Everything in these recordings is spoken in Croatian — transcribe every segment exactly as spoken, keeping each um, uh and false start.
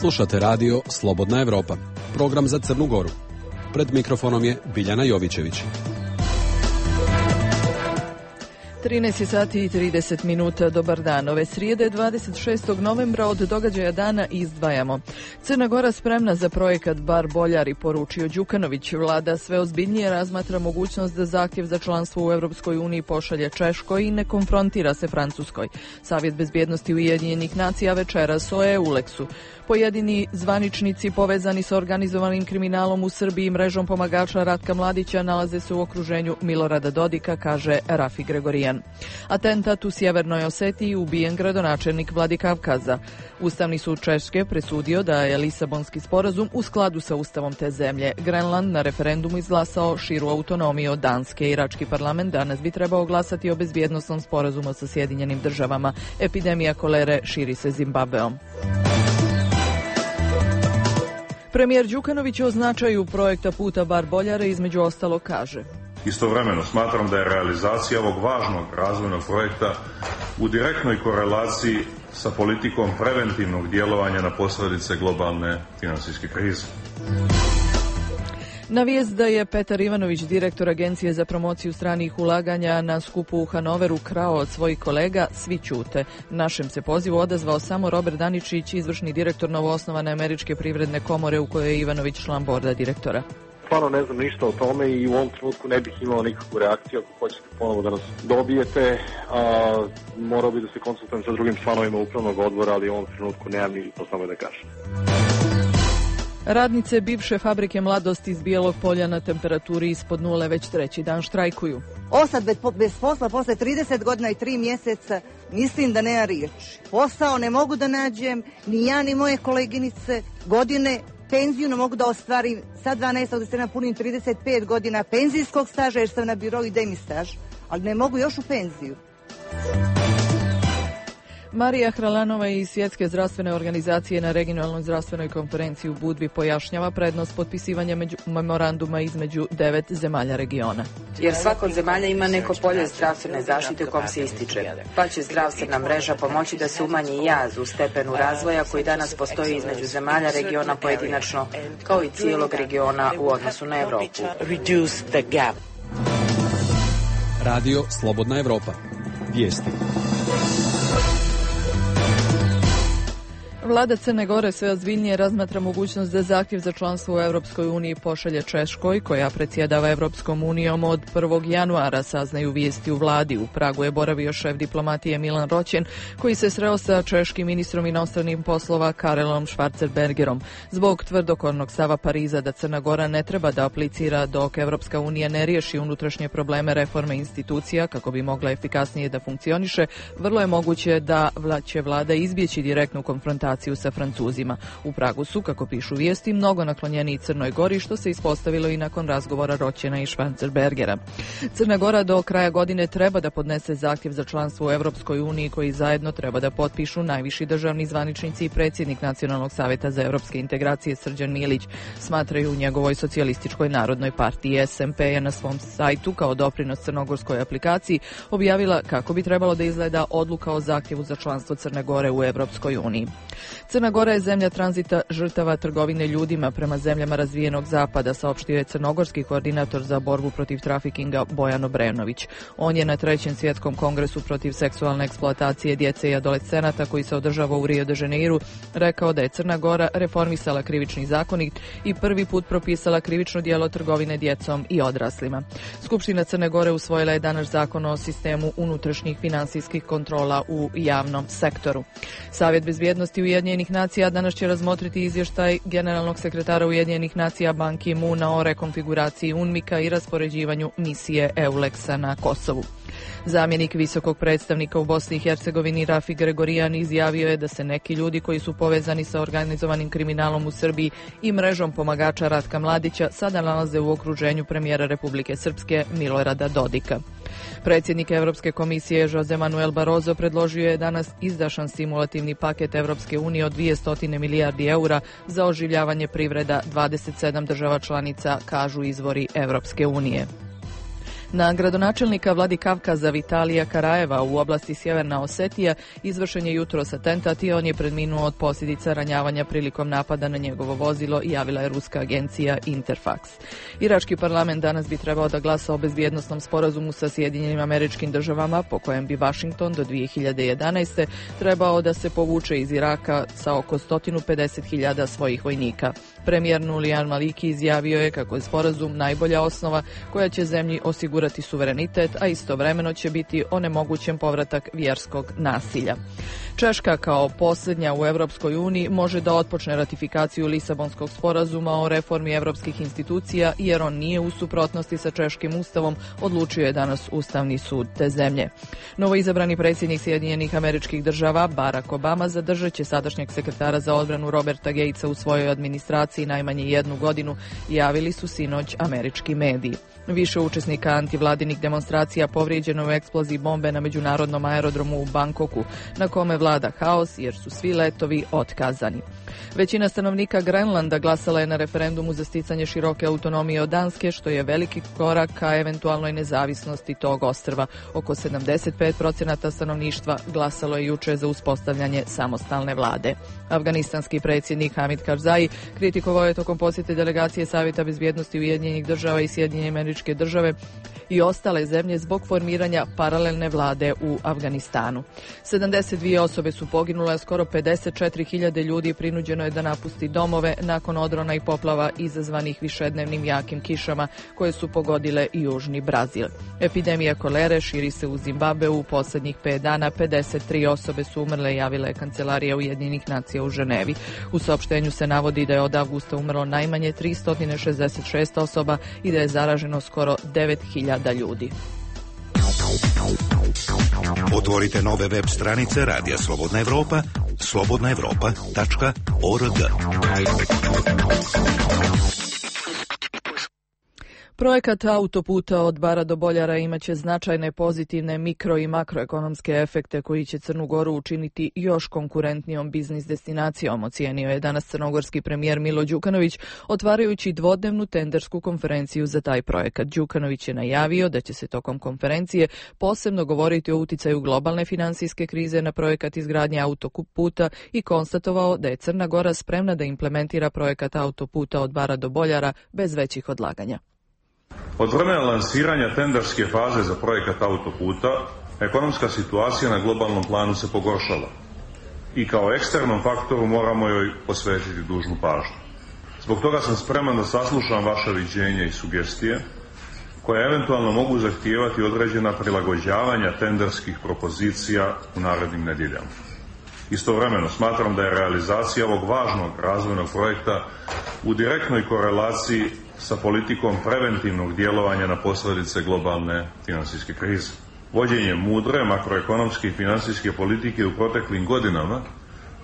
Slušate radio Slobodna Evropa, program za Crnu Goru. Pred mikrofonom je Biljana Jovićević. trinaest sati i trideset minuta, dobar dan. Ove srijede dvadeset šestog novembra od događaja dana izdvajamo. Crna Gora spremna za projekat Bar Boljari, poručio Đukanović. Vlada sve ozbiljnije razmatra mogućnost da zahtjev za članstvo u Europskoj uniji pošalje Češkoj i ne konfrontira se Francuskoj. Savjet bezbjednosti Ujedinjenih nacija večeras o Euleksu. Pojedini zvaničnici povezani sa organizovanim kriminalom u Srbiji i mrežom pomagača Ratka Mladića nalaze se u okruženju Milorada Dodika, kaže Rafi Gregorijan. Atentat u Sjevernoj Osetiji, ubijen gradonačelnik Vladikavkaza. Ustavni sud Češke presudio da je Lisabonski sporazum u skladu sa ustavom te zemlje. Grenland na referendumu izglasao širu autonomiju od Danske. Irački parlament danas bi trebao glasati o bezbjednosnom sporazumu sa Sjedinjenim državama. Epidemija kolere širi se Zimbabveom. Premijer Đukanović o značaju projekta Puta Bar Boljare između ostalo kaže: Istovremeno smatram da je realizacija ovog važnog razvojnog projekta u direktnoj korelaciji sa politikom preventivnog djelovanja na posljedice globalne financijske krize. Na vijest da je Petar Ivanović, direktor Agencije za promociju stranih ulaganja, na skupu u Hanoveru krao od svojih kolega, svi ćute. Našem se pozivu odazvao samo Robert Daničić, izvršni direktor novoosnovane Američke privredne komore u kojoj je Ivanović član borda direktora. Stvarno ne znam ništa o tome i u ovom trenutku ne bih imao nikakvu reakciju. Ako hoćete ponovo da nas dobijete, a, morao bi da se konsultujem sa drugim članovima upravnog odbora, ali u ovom trenutku nemam ništa samo da kažem. Radnice bivše fabrike Mladost iz Bijelog Polja na temperaturi ispod nule već treći dan štrajkuju. Osad bez posla posle trideset godina i tri mjeseca, mislim da nema riječi. Posao ne mogu da nađem, ni ja ni moje koleginice, godine penziju ne mogu da ostvarim. Sad dvanaestog da se napunim trideset pet godina penzijskog staža jer sam na birou i demi staž, ali ne mogu još u penziju. Marija Hralanova iz Svjetske zdravstvene organizacije na regionalnoj zdravstvenoj konferenciji u Budvi pojašnjava prednost potpisivanja među, memoranduma između devet zemalja regiona. Jer svaka od zemalja ima neko polje zdravstvene zaštite u kom se ističe, pa će zdravstvena mreža pomoći da se umanji jaz u stepenu razvoja koji danas postoji između zemalja regiona pojedinačno, kao i cijelog regiona u odnosu na Evropu. Radio Slobodna Evropa. Vijesti. Vlada Crne Gore sve ozbiljnije razmatra mogućnost da zahtjev za članstvo u Europskoj uniji pošalje Češkoj, koja predsjedava Europskom unijom od prvog januara, saznaju vijesti u vladi. U Pragu je boravio šef diplomatije Milan Roćen, koji se sreo sa češkim ministrom inostranih poslova Karelom Schwarzenbergerom. Zbog tvrdokornog stava Pariza da Crna Gora ne treba da aplicira dok Europska unija ne riješi unutrašnje probleme reforme institucija kako bi mogla efikasnije da funkcioniše, vrlo je moguće da će vlada izbjeći direktnu konfrontaciju sa Francuzima. U Pragu su, kako pišu vijesti, mnogo naklonjeni Crnoj Gori, što se ispostavilo i nakon razgovora Roćena i Schwarzenbergera. Crna Gora do kraja godine treba da podnese zahtjev za članstvo u Europskoj uniji, koji zajedno treba da potpišu najviši državni zvaničnici i predsjednik Nacionalnog savjeta za europske integracije Srđan Milić, smatraju u njegovoj socijalističkoj narodnoj partiji. S M P je na svom sajtu kao doprinos crnogorskoj aplikaciji objavila kako bi trebalo da izgleda odluka o zahtjevu za članstvo Crne Gore u Europskoj uniji. Crna Gora je zemlja tranzita žrtava trgovine ljudima prema zemljama razvijenog zapada, saopštio je crnogorski koordinator za borbu protiv trafikinga Bojan Obrenović. On je na trećem svjetskom kongresu protiv seksualne eksploatacije djece i adolescenata, koji se održava u Rio de Janeiru, rekao da je Crna Gora reformisala krivični zakonik i prvi put propisala krivično djelo trgovine djecom i odraslima. Skupština Crne Gore usvojila je danas zakon o sistemu unutrašnjih finansijskih kontrola u javnom sektoru. Savjet bezbjednosti Ujedinjenih nacija danas će razmotriti izvještaj generalnog sekretara Ujedinjenih nacija Ban Ki-moona o rekonfiguraciji UNMIK-a i raspoređivanju misije Euleksa na Kosovu. Zamjenik visokog predstavnika u Bosni i Hercegovini Rafi Gregorijan izjavio je da se neki ljudi koji su povezani sa organizovanim kriminalom u Srbiji i mrežom pomagača Ratka Mladića sada nalaze u okruženju premijera Republike Srpske Milorada Dodika. Predsjednik Europske komisije Jose Manuel Barroso predložio je danas izdašan stimulativni paket Europske unije od dvjesto milijardi eura za oživljavanje privreda dvadeset sedam država članica, kažu izvori Europske unije. Na gradonačelnika Vladikavkaza Vitalija Karajeva u oblasti Sjeverna Osetija izvršen je jutros atentat i on je preminuo od posljedica ranjavanja prilikom napada na njegovo vozilo, javila je ruska agencija Interfax. Irački parlament danas bi trebao da glasa o bezbjednosnom sporazumu sa Sjedinjenim Američkim Državama, po kojem bi Washington do dvije hiljade jedanaeste. trebao da se povuče iz Iraka sa oko sto pedeset hiljada svojih vojnika. Premijer Nulijan Maliki izjavio je kako je sporazum najbolja osnova koja će zemlji osigurati suverenitet, a istovremeno će biti onemogućen povratak vjerskog nasilja. Češka kao posljednja u Europskoj uniji može da otpočne ratifikaciju Lisabonskog sporazuma o reformi europskih institucija, jer on nije u suprotnosti sa češkim ustavom, odlučio je danas Ustavni sud te zemlje. Novoizabrani predsjednik Sjedinjenih Američkih Država Barack Obama zadržat će sadašnjeg sekretara za odbranu Roberta Gatesa u svojoj administraciji najmanje jednu godinu, javili su sinoć američki mediji. Više učesnika antivladinih demonstracija povrijeđeno u eksploziji bombe na međunarodnom aerodromu u Bangkoku, na kome vlada haos jer su svi letovi otkazani. Većina stanovnika Grenlanda glasala je na referendumu za sticanje široke autonomije od Danske, što je veliki korak ka eventualnoj nezavisnosti tog ostrva. Oko sedamdeset pet procenata stanovništva glasalo je juče za uspostavljanje samostalne vlade. Afganistanski predsjednik Hamid Karzai kritikovao je tokom posjete delegacije Savjeta bezbjednosti Ujedinjenih država i Sjedinjene Američke Države i ostale zemlje zbog formiranja paralelne vlade u Afganistanu. sedamdeset dvije osobe su poginule, a skoro pedeset četiri hiljade ljudi prinuđeno je da napusti domove nakon odrona i poplava izazvanih višednevnim jakim kišama koje su pogodile i južni Brazil. Epidemija kolere širi se u Zimbabveu. U posljednjih pet dana pedeset tri osobe su umrle, javila je Kancelarija Ujedinjenih nacija u Ženevi. U saopštenju se navodi da je od avgusta umrlo najmanje tristo šezdeset šest osoba i da je zaraženo skoro devet hiljada ljudi. Otvorite nove web stranice Radija Slobodna Evropa, slobodna evropa tačka org. Projekat autoputa od Bara do Boljara imaće značajne pozitivne mikro i makroekonomske efekte koji će Crnu Goru učiniti još konkurentnijom biznis destinacijom, ocijenio je danas crnogorski premijer Milo Đukanović, otvarajući dvodnevnu tendersku konferenciju za taj projekat. Đukanović je najavio da će se tokom konferencije posebno govoriti o uticaju globalne finansijske krize na projekat izgradnje autoputa i konstatovao da je Crna Gora spremna da implementira projekat autoputa od Bara do Boljara bez većih odlaganja. Od vremena lansiranja tenderske faze za projekat autoputa, ekonomska situacija na globalnom planu se pogoršala i kao eksternom faktoru moramo joj posvetiti dužnu pažnju. Zbog toga sam spreman da saslušam vaša viđenja i sugestije, koje eventualno mogu zahtijevati određena prilagođavanja tenderskih propozicija u narednim nedjeljama. Istovremeno smatram da je realizacija ovog važnog razvojnog projekta u direktnoj korelaciji sa politikom preventivnog djelovanja na posljedice globalne financijske krize. Vođenje mudre makroekonomske i financijske politike u proteklim godinama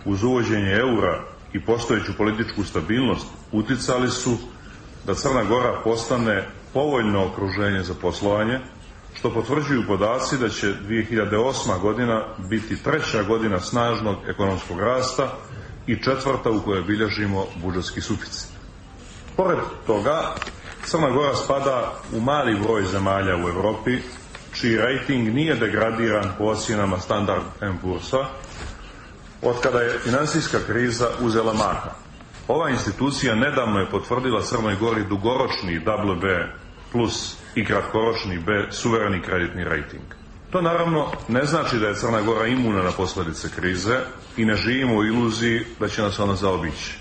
uz uvođenje eura i postojeću političku stabilnost uticali su da Crna Gora postane povoljno okruženje za poslovanje, što potvrđuju podaci da će dvije hiljade osma godina biti treća godina snažnog ekonomskog rasta i četvrta u kojoj bilježimo budžetski suficit. Pored toga, Crna Gora spada u mali broj zemalja u Europi čiji rating nije degradiran po ocjenama Standard and Poor'sa od kada je financijska kriza uzela maha. Ova institucija nedavno je potvrdila Crnoj Gori dugoročni double B plus i kratkoročni B suvereni kreditni rating. To naravno ne znači da je Crna Gora imuna na posljedice krize i ne živimo u iluziji da će nas ona zaobići.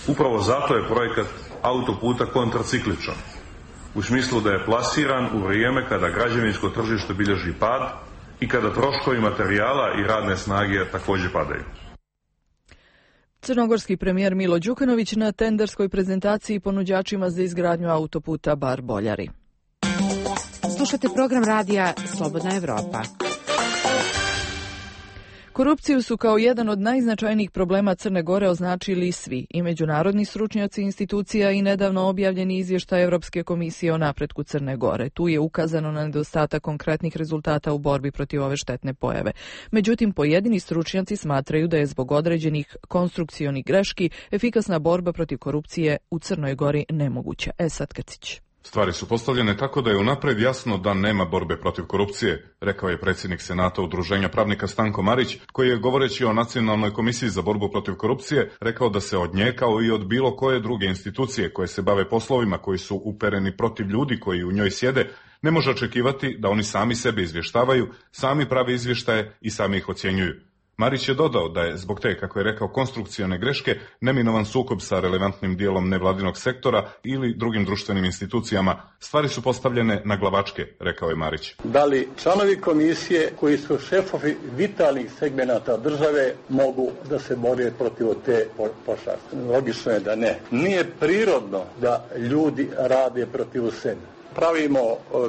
Upravo zato je projekat autoputa kontracikličan, u smislu da je plasiran u vrijeme kada građevinsko tržište bilježi pad i kada troškovi materijala i radne snage također padaju. Crnogorski premijer Milo Đukanović na tenderskoj prezentaciji ponuđačima za izgradnju autoputa Bar Boljari. Slušate program radija Slobodna Evropa. Korupciju su kao jedan od najznačajnijih problema Crne Gore označili svi, i međunarodni stručnjaci institucija i nedavno objavljeni izvještaj Europske komisije o napretku Crne Gore. Tu je ukazano na nedostatak konkretnih rezultata u borbi protiv ove štetne pojave. Međutim, pojedini stručnjaci smatraju da je zbog određenih konstrukcionih greški efikasna borba protiv korupcije u Crnoj Gori nemoguća. Esad Kacić. Stvari su postavljene tako da je unapred jasno da nema borbe protiv korupcije, rekao je predsjednik Senata Udruženja pravnika Stanko Marić, koji je govoreći o Nacionalnoj komisiji za borbu protiv korupcije rekao da se od nje kao i od bilo koje druge institucije koje se bave poslovima koji su upereni protiv ljudi koji u njoj sjede, ne može očekivati da oni sami sebe izvještavaju, sami prave izvještaje i sami ih ocjenjuju. Marić je dodao da je zbog te, kako je rekao, konstrukcione greške neminovan sukob sa relevantnim dijelom nevladinog sektora ili drugim društvenim institucijama. Stvari su postavljene na glavačke, rekao je Marić. Da li članovi komisije koji su šefovi vitalnih segmenata države mogu da se bore protiv te pošasti? Logično je da ne. Nije prirodno da ljudi rade protiv sebe. Pravimo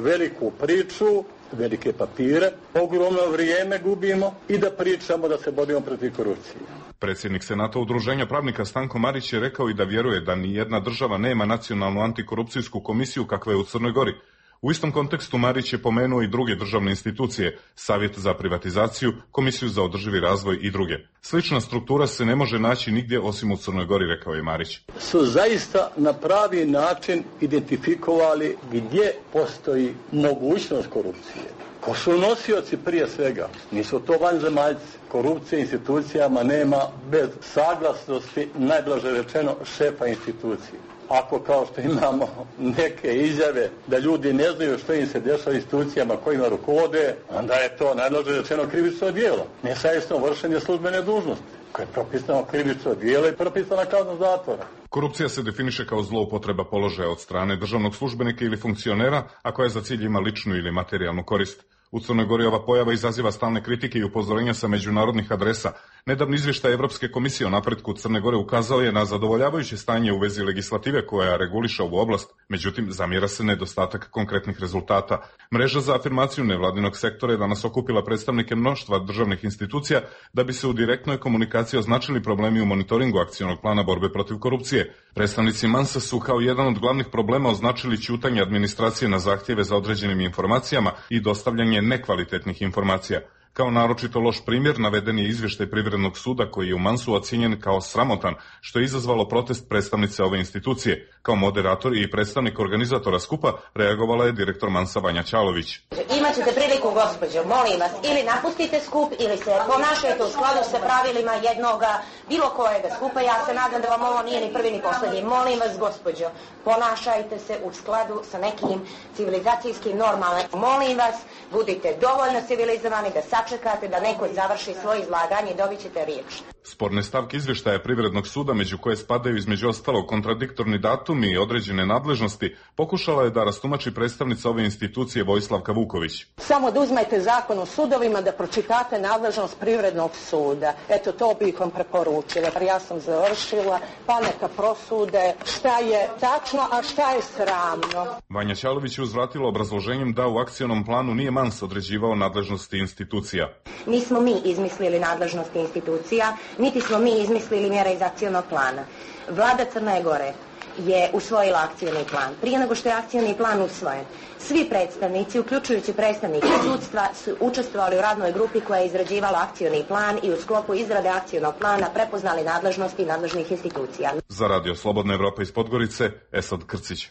veliku priču, velike papire, ogromno vrijeme gubimo i da pričamo da se borimo protiv korupcije. Predsjednik Senata Udruženja pravnika Stanko Marić je rekao i da vjeruje da ni jedna država nema nacionalnu antikorupcijsku komisiju kakva je u Crnoj Gori. U istom kontekstu Marić je pomenuo i druge državne institucije, Savjet za privatizaciju, Komisiju za održivi razvoj i druge. Slična struktura se ne može naći nigdje osim u Crnoj Gori, rekao je Marić. Su zaista na pravi način identifikovali gdje postoji mogućnost korupcije. Ko su nosioci prije svega? Nisu to vanzemaljci. Korupcije institucijama nema bez saglasnosti, najblaže rečeno, šefa institucije. Ako kao što imamo neke izjave da ljudi ne znaju što im se dešava institucijama kojima rukovode, onda je to najblaže rečeno krivično djelo. Nesavjesno vršenje službene dužnosti, koje je propisano krivično djelo i propisana kazna zatvora. Korupcija se definiše kao zloupotreba položaja od strane državnog službenika ili funkcionera, a koja za cilj ima ličnu ili materijalnu korist. U Crnoj Gori ova pojava izaziva stalne kritike i upozorenja sa međunarodnih adresa. Nedavni izvještaj Evropske komisije o napretku Crne Gore ukazao je na zadovoljavajuće stanje u vezi legislative koja reguliše ovu oblast, međutim zamjera se nedostatak konkretnih rezultata. Mreža za afirmaciju nevladinog sektora je danas okupila predstavnike mnoštva državnih institucija da bi se u direktnoj komunikaciji označili problemi u monitoringu akcionog plana borbe protiv korupcije. Predstavnici Mansa su kao jedan od glavnih problema označili ćutanje administracije na zahtjeve za određenim informacijama i dostavljanje nekvalitetnih informacija. Kao naročito loš primjer naveden je izvještaj Privrednog suda koji je u Mansu ocijenjen kao sramotan, što je izazvalo protest predstavnice ove institucije. Kao moderator i predstavnik organizatora skupa reagovala je direktor Mansa Vanja Ćalović. Imaćete priliku, gospođo, molim vas, ili napustite skup ili se ponašajte u skladu sa pravilima jednoga, bilo kojega skupa. Ja se nadam da vam ovo nije ni prvi ni posljednji. Molim vas, gospođo, ponašajte se u skladu sa nekim civilizacijskim normama. Molim vas, budite dovoljno civilizovani da sačekate da neko završi svoje izlaganje i dobit ćete riječ. Sporne stavke izvještaja Privrednog suda, među koje spadaju između ostalog kontradiktorni datumi i određene nadležnosti, pokušala je da rastumači predstavnica ove institucije Vojslavka Vuković. Samo da uzmete zakon o sudovima, da pročitate nadležnost Privrednog suda. Eto, to bih vam preporučila. Ja sam završila, pa neka prosude šta je tačno, a šta je sramno. Vanja Ćalović je uzvratila obrazloženjem da u akcionom planu nije Mans određivao nadležnosti institucija. Nismo mi izmislili nadležnosti institucija, niti smo mi izmislili mjere iz akcionog plana. Vlada Crne Gore je usvojila akcioni plan. Prije nego što je akcioni plan usvojen, svi predstavnici, uključujući predstavnike sudstva, su učestvovali u radnoj grupi koja je izrađivala akcioni plan i u sklopu izrade akcionog plana prepoznali nadležnosti nadležnih institucija. Za Radio Slobodna Evropa iz Podgorice, Esad Krcić.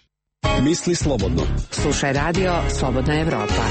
Misli slobodno. Slušaj Radio Slobodna Evropa.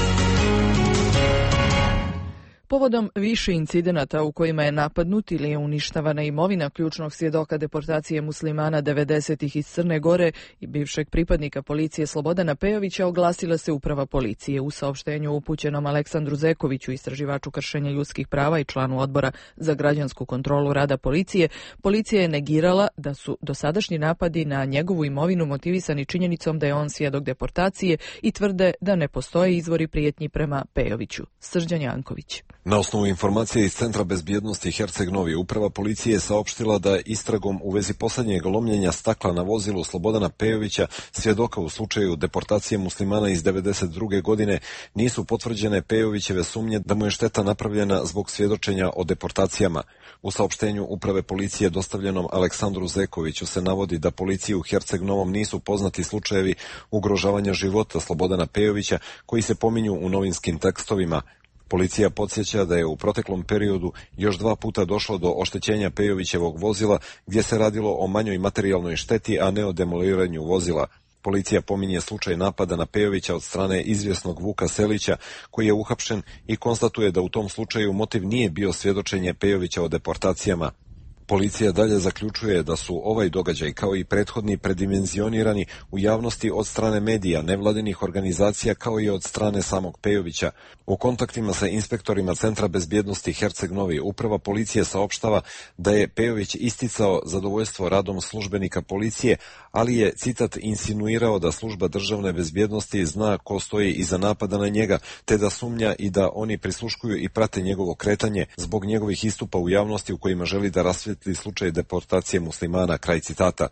Povodom više incidenata u kojima je napadnut ili je uništavana imovina ključnog svjedoka deportacije muslimana devedesetih iz Crne Gore i bivšeg pripadnika policije Slobodana Pejovića, oglasila se uprava policije. U saopštenju upućenom Aleksandru Zekoviću, istraživaču kršenja ljudskih prava i članu odbora za građansku kontrolu rada policije, policija je negirala da su dosadašnji napadi na njegovu imovinu motivisani činjenicom da je on svjedok deportacije i tvrde da ne postoje izvori prijetnji prema Pejoviću. Srđan Janković. Na osnovu informacije iz Centra bezbjednosti Herceg Novi, uprava policije je saopštila da istragom u vezi posljednjeg lomljenja stakla na vozilu Slobodana Pejovića, svjedoka u slučaju deportacije muslimana iz devedeset druge godine, nisu potvrđene Pejovićeve sumnje da mu je šteta napravljena zbog svjedočenja o deportacijama. U saopštenju uprave policije dostavljenom Aleksandru Zekoviću se navodi da policiji u Herceg Novom nisu poznati slučajevi ugrožavanja života Slobodana Pejovića koji se pominju u novinskim tekstovima. Policija podsjeća da je u proteklom periodu još dva puta došlo do oštećenja Pejovićevog vozila, gdje se radilo o manjoj materijalnoj šteti, a ne o demoliranju vozila. Policija pominje slučaj napada na Pejovića od strane izvjesnog Vuka Selića, koji je uhapšen, i konstatuje da u tom slučaju motiv nije bio svjedočenje Pejovića o deportacijama. Policija dalje zaključuje da su ovaj događaj kao i prethodni predimenzionirani u javnosti od strane medija, nevladinih organizacija kao i od strane samog Pejovića. U kontaktima sa inspektorima Centra bezbjednosti Herceg Novi uprava policije saopštava da je Pejović isticao zadovoljstvo radom službenika policije, ali je, citat, insinuirao da služba državne bezbjednosti zna ko stoji iza napada na njega, te da sumnja i da oni prisluškuju i prate njegovo kretanje zbog njegovih istupa u javnosti u kojima želi da rasvijetli slučaj deportacije muslimana, kraj citata.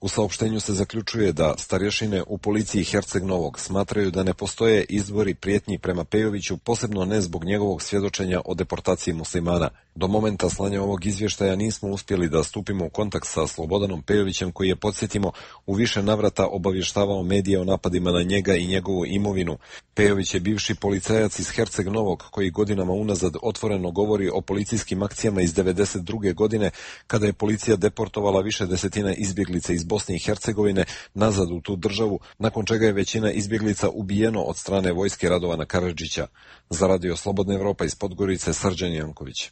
U saopštenju se zaključuje da starješine u policiji Herceg Novog smatraju da ne postoje izvori prijetnji prema Pejoviću, posebno ne zbog njegovog svjedočenja o deportaciji muslimana. Do momenta slanja ovog izvještaja nismo uspjeli da stupimo u kontakt sa Slobodanom Pejovićem, koji je, podsjetimo, u više navrata obavještavao medije o napadima na njega i njegovu imovinu. Pejović je bivši policajac iz Herceg Novog koji godinama unazad otvoreno govori o policijskim akcijama iz devedeset druge godine, kada je policija deportovala više desetina izbjeglica iz Bosne i Hercegovine nazad u tu državu, nakon čega je većina izbjeglica ubijeno od strane vojske Radovana Karadžića. Za Radio Slobodna Evropa iz Podgorice, Srđan Janković.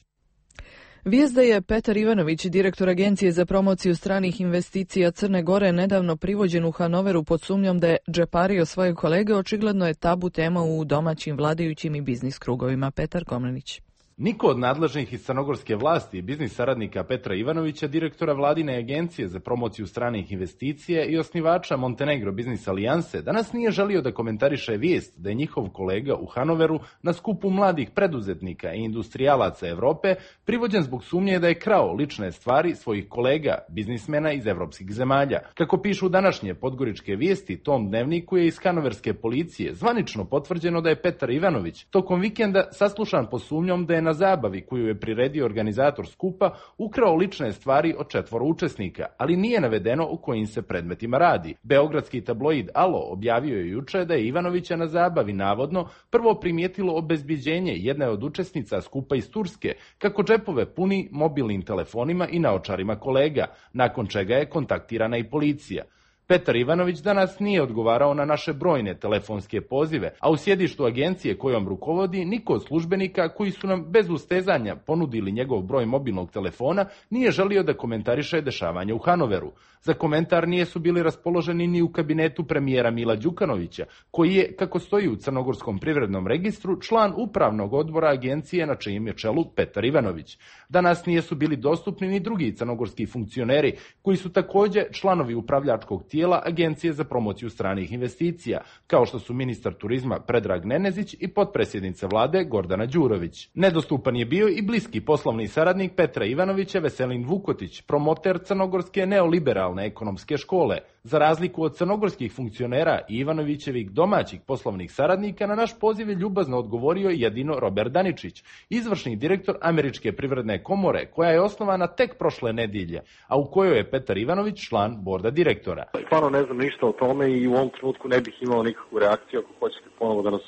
Vijest da je Petar Ivanović, direktor Agencije za promociju stranih investicija Crne Gore, nedavno privođen u Hanoveru pod sumnjom da je džepario svoje kolege, očigledno je tabu tema u domaćim vladajućim i biznis krugovima. Petar Komnenić. Niko od nadležnih iz crnogorske vlasti i biznis saradnika Petra Ivanovića, direktora vladine agencije za promociju stranih investicija i osnivača Montenegro Biznis Alijanse, danas nije želio da komentariše vijest da je njihov kolega u Hanoveru na skupu mladih preduzetnika i industrijalaca Evrope privođen zbog sumnje da je krao lične stvari svojih kolega, biznismena iz evropskih zemalja. Kako pišu današnje podgoričke vijesti, tom dnevniku je iz hanoverske policije zvanično potvrđeno da je Petar Ivanović tokom vikenda saslušan po sumnjom da je na zabavi koju je priredio organizator skupa ukrao lične stvari od četvoro učesnika, ali nije navedeno o kojim se predmetima radi. Beogradski tabloid Alo objavio je juče da je Ivanovića na zabavi navodno prvo primijetilo obezbiđenje jedne od učesnica skupa iz Turske, kako džepove puni mobilnim telefonima i naočarima kolega, nakon čega je kontaktirana i policija. Petar Ivanović danas nije odgovarao na naše brojne telefonske pozive, a u sjedištu agencije kojom rukovodi niko od službenika koji su nam bez ustezanja ponudili njegov broj mobilnog telefona nije želio da komentariše dešavanje u Hanoveru. Za komentar nije su bili raspoloženi ni u kabinetu premijera Mila Đukanovića, koji je, kako stoji u Crnogorskom privrednom registru, član upravnog odbora agencije na čijem je čelu Petar Ivanović. Danas nije su bili dostupni ni drugi crnogorski funkcioneri, koji su također članovi upravljačkog tijela Agencije za promociju stranih investicija, kao što su ministar turizma Predrag Nenezić i potpredsjednica vlade Gordana Đurović. Nedostupan je bio i bliski poslovni saradnik Petra Ivanovića Veselin Vukotić, promoter crnogorske neoliberalne ekonomske škole. Za razliku od crnogorskih funkcionera i Ivanovićevih domaćih poslovnih saradnika, na naš poziv je ljubazno odgovorio jedino Robert Daničić, izvršni direktor Američke privredne komore, koja je osnovana tek prošle nedjelje, a u kojoj je Petar Ivanović član borda direktora. Stvarno ne znam ništa o tome i u ovom trenutku ne bih imao nikakvu reakciju. Ako hoćete ponovo da nas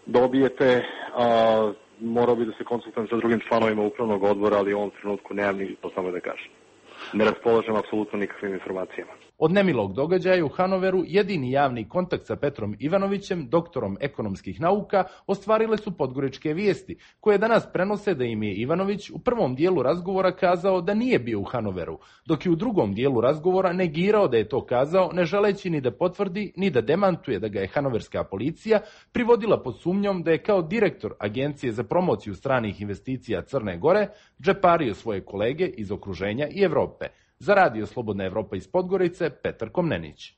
dobijete, a, morao bi da se konsultujem sa drugim članovima upravnog odbora, ali u ovom trenutku nemam ni to samo da kažem. Ne raspolažem apsolutno nikakvim informacijama. Od nemilog događaja u Hanoveru jedini javni kontakt sa Petrom Ivanovićem, doktorom ekonomskih nauka, ostvarile su podgoričke vijesti, koje danas prenose da im je Ivanović u prvom dijelu razgovora kazao da nije bio u Hanoveru, dok je u drugom dijelu razgovora negirao da je to kazao, ne želeći ni da potvrdi ni da demantuje da ga je hanoverska policija privodila pod sumnjom da je kao direktor Agencije za promociju stranih investicija Crne Gore džepario svoje kolege iz okruženja i Evrope. Za Radio Slobodna Evropa iz Podgorice, Petar Komnenić.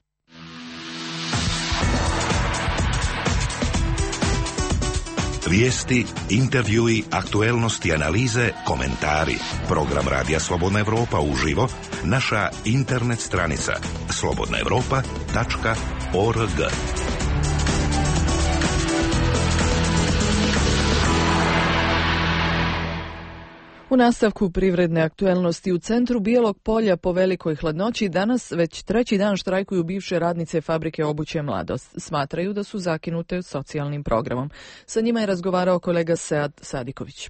Vijesti, intervjui, aktuelnosti, analize, komentari. Program Radija Slobodna Evropa uživo, naša internet stranica slobodna evropa tačka org. U nastavku privredne aktuelnosti u centru Bijelog polja po velikoj hladnoći danas već treći dan štrajkuju bivše radnice fabrike obuće Mladost. Smatraju da su zakinute socijalnim programom. Sa njima je razgovarao kolega Sead Sadiković.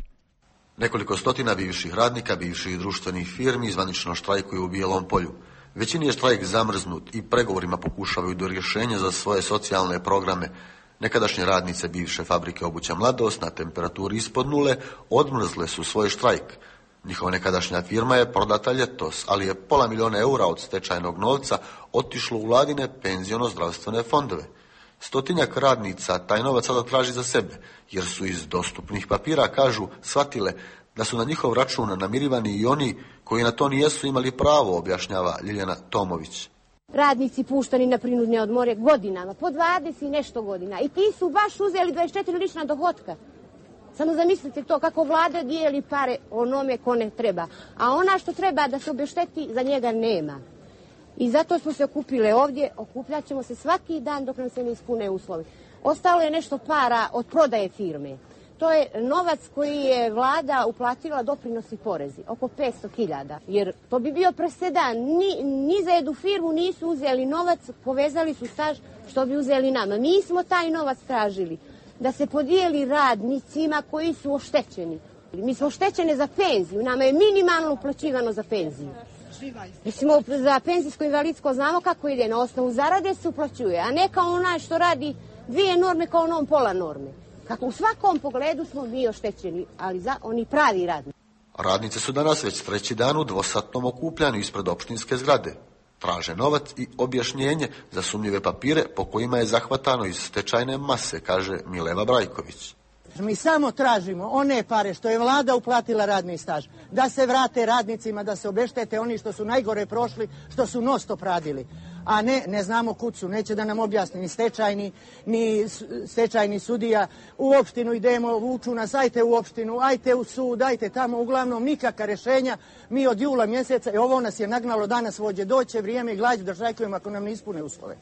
Nekoliko stotina bivših radnika, bivših društvenih firmi zvanično štrajkuju u Bijelom polju. Većini je štrajk zamrznut i pregovorima pokušavaju do rješenja za svoje socijalne programe. Nekadašnje radnice bivše fabrike obuća Mladost na temperaturi ispod nule odmrzle su svoj štrajk. Njihova nekadašnja firma je prodata ljetos, ali je pola milijuna eura od stečajnog novca otišlo u vladine penziono-zdravstvene fondove. Stotinjak radnica taj novac sada traži za sebe, jer su iz dostupnih papira, kažu, shvatile da su na njihov račun namirivani i oni koji na to nijesu imali pravo, objašnjava Ljiljana Tomović. Radnici puštani na prinudne odmore godinama, po dvadeset i nešto godina. I ti su baš uzeli dvadeset četiri lična dohotka. Samo zamislite to kako vlada dijeli pare onome ko ne treba. A ona što treba da se obješteti, za njega nema. I zato smo se okupile ovdje, okupljat ćemo se svaki dan dok nam se ne ispune uslovi. Ostalo je nešto para od prodaje firme. To je novac koji je vlada uplatila doprinosi porezi, oko petsto hiljada. Jer to bi bio presedan. Ni, ni za jednu firmu nisu uzeli novac, povezali su staž što bi uzeli nama. Mi smo taj novac tražili da se podijeli radnicima koji su oštećeni. Mi smo oštećene za penziju, nama je minimalno uplaćivano za penziju. Mislimo, za penzijsko invalidsko znamo kako ide, na osnovu zarade se uplaćuje, a ne kao onaj što radi dvije norme kao onom pola norme. Kako u svakom pogledu smo mi oštećeni, ali za oni pravi radnici. Radnice su danas već treći dan u dvosatnom okupljanju ispred opštinske zgrade. Traže novac i objašnjenje za sumnjive papire po kojima je zahvatano iz stečajne mase, kaže Mileva Brajković. Mi samo tražimo one pare što je vlada uplatila radni staž, da se vrate radnicima, da se obeštete oni što su najgore prošli, što su non stop radili. A ne, ne znamo kud su, neće da nam objasni ni stečajni, ni stečajni sudija. U opštinu idemo, vuču nas, ajte u opštinu, ajte u sud, ajte tamo, uglavnom nikakva rješenja. Mi od jula mjeseca, i ovo nas je nagnalo, danas vođe, doće vrijeme i glađu da štrajkujemo ako nam ne ispune uslove.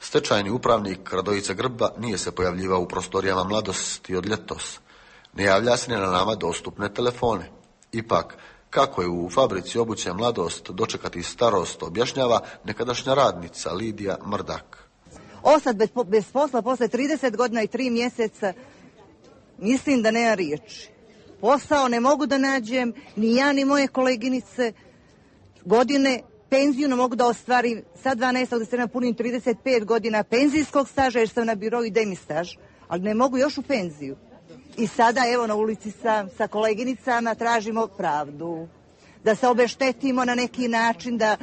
Stečajni upravnik Radojica Grba nije se pojavljivao u prostorijama Mladosti od ljetos. Ne javlja se ni na nama dostupne telefone. Ipak, kako je u fabrici obuće Mladost dočekati starost, objašnjava nekadašnja radnica Lidija Mrdak. Ostad bez, bez posla posle trideset godina i tri mjeseca, mislim da nema riječi. Posao ne mogu da nađem, ni ja ni moje koleginice. Godine penziju ne mogu da ostvarim, sad dvanaestog decembra punim trideset pet godina penzijskog staža jer sam na birou i demi staž, ali ne mogu još u penziju. I sada evo na ulici sa, sa koleginicama tražimo pravdu, da se obeštetimo na neki način, da,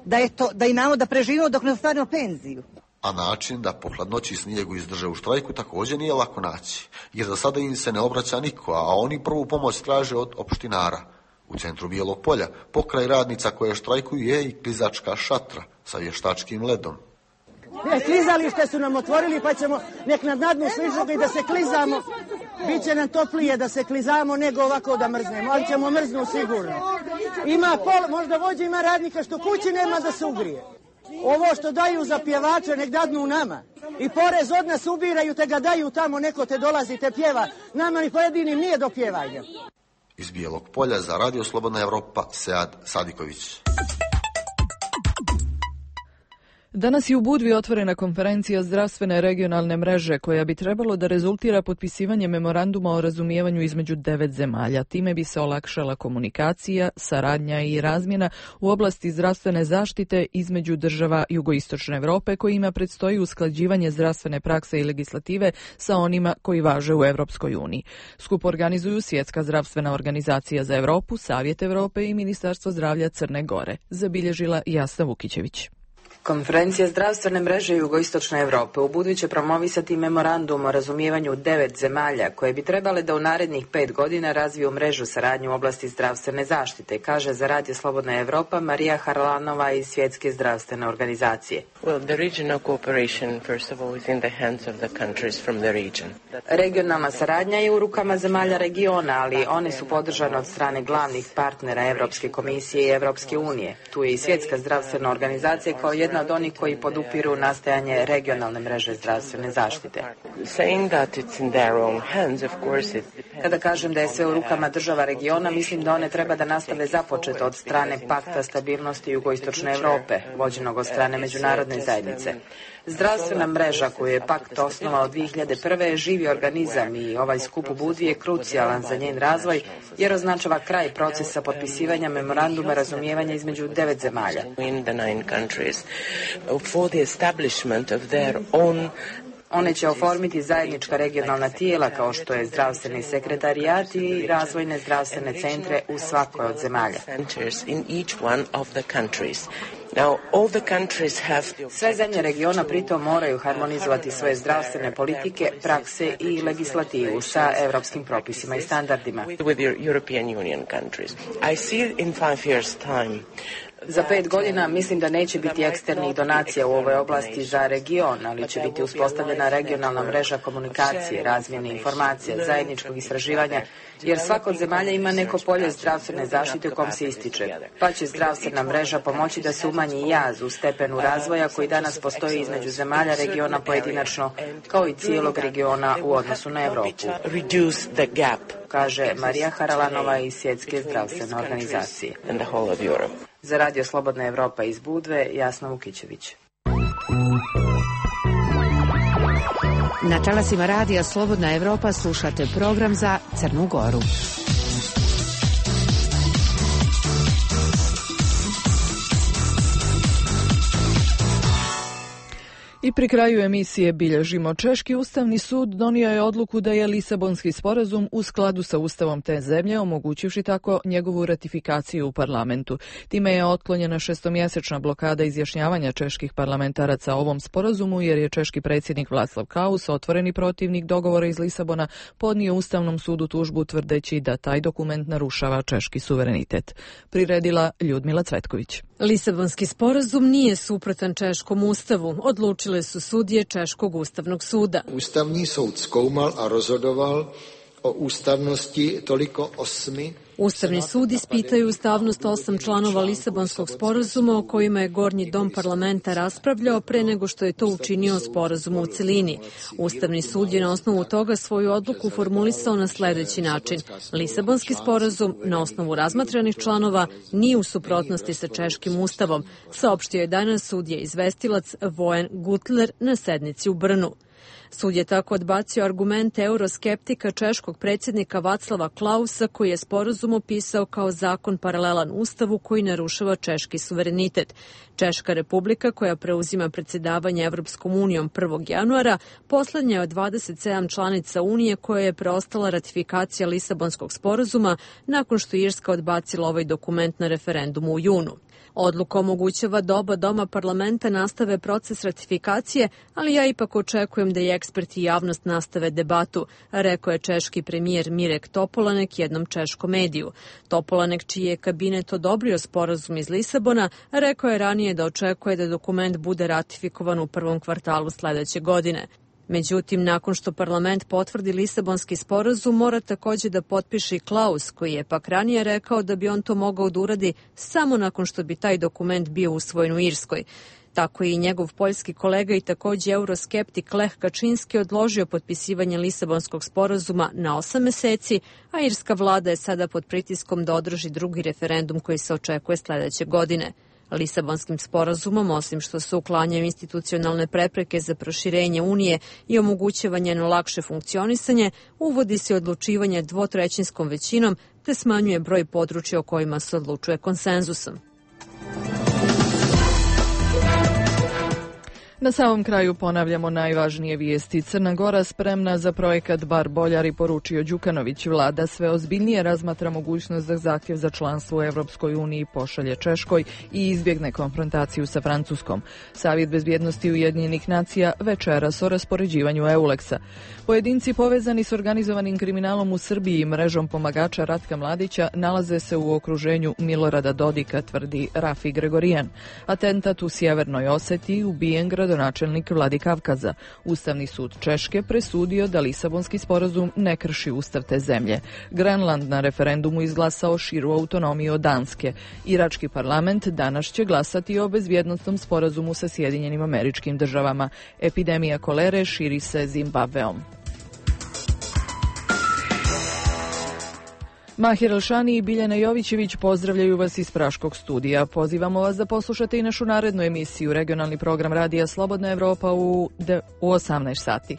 da, je to, da imamo da preživimo dok ne ostvarimo penziju. A način da po hladnoći i snijegu izdrže u štrajku također nije lako naći, jer za sada im se ne obraća niko, a oni prvu pomoć traže od opštinara. U centru Bijelog Polja, pokraj radnica koje štrajkuju, je i klizačka šatra sa vještačkim ledom. Ne, klizalište su nam otvorili pa ćemo nek nad nadnu sližu i da se klizamo. Biće nam toplije da se klizamo nego ovako da mrznemo, ali ćemo mrznu sigurno. Ima pol, možda vođe ima radnika što kući nema da se ugrije. Ovo što daju za pjevače nek dadnu nama. I porez od nas ubiraju te ga daju tamo, neko te dolazi te pjeva. Nama ni pojedinim nije do pjevanja. Iz Bijelog Polja za Radio Slobodna Evropa, Sead Sadiković. Danas je u Budvi otvorena konferencija zdravstvene regionalne mreže koja bi trebalo da rezultira potpisivanje memoranduma o razumijevanju između devet zemalja. Time bi se olakšala komunikacija, saradnja i razmjena u oblasti zdravstvene zaštite između država Jugoistočne Evrope kojima predstoji usklađivanje zdravstvene prakse i legislative sa onima koji važe u Evropskoj uniji. Skup organizuju Svjetska zdravstvena organizacija za Evropu, Savjet Evrope i Ministarstvo zdravlja Crne Gore, zabilježila Jasna Vukićević. Konferencija zdravstvene mreže Jugoistočne Evrope u Budvi će promovisati memorandum o razumijevanju devet zemalja koje bi trebale da u narednih pet godina razviju mrežu saradnju u oblasti zdravstvene zaštite, kaže za Radio Slobodna Evropa Marija Harlanova iz Svjetske zdravstvene organizacije. Well, the regional cooperation first of all is in the hands of the countries from the region. Regionalna saradnja je u rukama zemalja regiona, ali one su podržane od strane glavnih partnera Evropske komisije i Evropske unije. Tu je i Svjetska zdravstvena organizacija kao jedna jedna od onih koji podupiru nastajanje regionalne mreže zdravstvene zaštite. Kada kažem da je sve u rukama država regiona, mislim da one treba da nastave započeto od strane Pakta stabilnosti jugoistočne Europe, vođenog od strane međunarodne zajednice. Zdravstvena mreža koju je Pakt osnovao dvije hiljade prve. je živi organizam i ovaj skup u Budvi je krucijalan za njen razvoj jer označava kraj procesa potpisivanja memoranduma razumijevanja između devet zemalja. One će oformiti zajednička regionalna tijela kao što je zdravstveni sekretarijat i razvojne zdravstvene centre u svakoj od zemalja. Sve zemlje regiona pritom moraju harmonizovati svoje zdravstvene politike, prakse i legislativu sa evropskim propisima i standardima. Za pet godina mislim da neće biti eksternih donacija u ovoj oblasti za region, ali će biti uspostavljena regionalna mreža komunikacije, razmjene informacija, zajedničkog istraživanja, jer svaka od zemalja ima neko polje zdravstvene zaštite u kom se ističe, pa će zdravstvena mreža pomoći da se umanji jaz u stepenu razvoja koji danas postoji između zemalja regiona pojedinačno, kao i cijelog regiona u odnosu na Evropu, kaže Marija Haralanova iz Svjetske zdravstvene organizacije. Za Radio Slobodna Evropa iz Budve, Jasna Vukićević. Na talasima Radija Slobodna Evropa slušate program za Crnu Goru. I pri kraju emisije bilježimo. Češki ustavni sud donio je odluku da je Lisabonski sporazum u skladu sa ustavom te zemlje, omogućivši tako njegovu ratifikaciju u parlamentu. Time je otklonjena šestomjesečna blokada izjašnjavanja čeških parlamentaraca o ovom sporazumu, jer je češki predsjednik Václav Klaus, otvoreni protivnik dogovora iz Lisabona, podnio Ustavnom sudu tužbu tvrdeći da taj dokument narušava češki suverenitet. Priredila Ljudmila Cvetković. Lisabonski sporazum nije suprotan češkom ustavu, odlučile su sudije Češkog ustavnog suda. Ustavni sud skoumal a rozhodoval o ustavnosti toliko osmi. Ustavni sud ispitaju ustavnost osam članova Lisabonskog sporazuma o kojima je Gornji dom parlamenta raspravljao pre nego što je to učinio sporazum u celini. Ustavni sud je na osnovu toga svoju odluku formulisao na sledeći način. Lisabonski sporazum na osnovu razmatranih članova nije u suprotnosti sa češkim ustavom, saopštio je danas sudija izvestilac Vojen Gutler na sednici u Brnu. Sud je tako odbacio argumente euroskeptika češkog predsjednika Václava Klausa, koji je sporazum opisao kao zakon paralelan ustavu koji narušava češki suverenitet. Češka republika, koja preuzima predsjedavanje Evropskom unijom prvog januara, poslednja je od dvadeset sedam članica Unije koja je preostala ratifikacija Lisabonskog sporazuma nakon što Irska odbacila ovaj dokument na referendumu u junu. Odluka omogućava da oba doma parlamenta nastave proces ratifikacije, ali ja ipak očekujem da i eksperti i javnost nastave debatu, rekao je češki premijer Mirek Topolanek jednom češkom mediju. Topolanek, čiji je kabinet odobrio sporazum iz Lisabona, rekao je ranije da očekuje da dokument bude ratifikovan u prvom kvartalu sledeće godine. Međutim, nakon što parlament potvrdi Lisabonski sporazum, mora takođe da potpiše i Klaus, koji je pak ranije rekao da bi on to mogao da uradi samo nakon što bi taj dokument bio usvojen u Irskoj. Tako je i njegov poljski kolega i takođe euroskeptik Lech Kačinski odložio potpisivanje Lisabonskog sporazuma na osam meseci, a irska vlada je sada pod pritiskom da održi drugi referendum koji se očekuje sledeće godine. Lisabonskim sporazumom, osim što se uklanjaju institucionalne prepreke za proširenje Unije i omogućava njeno lakše funkcionisanje, uvodi se odlučivanje dvotrećinskom većinom te smanjuje broj područja o kojima se odlučuje konsenzusom. Na samom kraju ponavljamo najvažnije vijesti. Crna Gora spremna za projekat Bar Boljari, poručio Đukanović. Vlada sve ozbiljnije razmatra mogućnost da zahtjev za članstvo u Evropskoj uniji pošalje Češkoj i izbjegne konfrontaciju sa Francuskom. Savjet bezbjednosti Ujedinjenih nacija večeras o raspoređivanju Euleksa. Pojedinci povezani s organizovanim kriminalom u Srbiji i mrežom pomagača Ratka Mladića nalaze se u okruženju Milorada Dodika, tvrdi Rafi Gregorijan. Atentat u Sjevernoj Osetiji, ubijen gradonačelnik gradonačelnik Vladikavkaza. Ustavni sud Češke presudio da Lisabonski sporazum ne krši ustav te zemlje. Grenland na referendumu izglasao širu autonomiju od Danske. Irački parlament danas će glasati o bezbjednostnom sporazumu sa Sjedinjenim Američkim Državama. Epidemija kolere širi se Zimbabveom. Mahir Elšani i Biljana Jovićević pozdravljaju vas iz Praškog studija. Pozivamo vas da poslušate i našu narednu emisiju, regionalni program Radija Slobodna Evropa u osamnaest sati.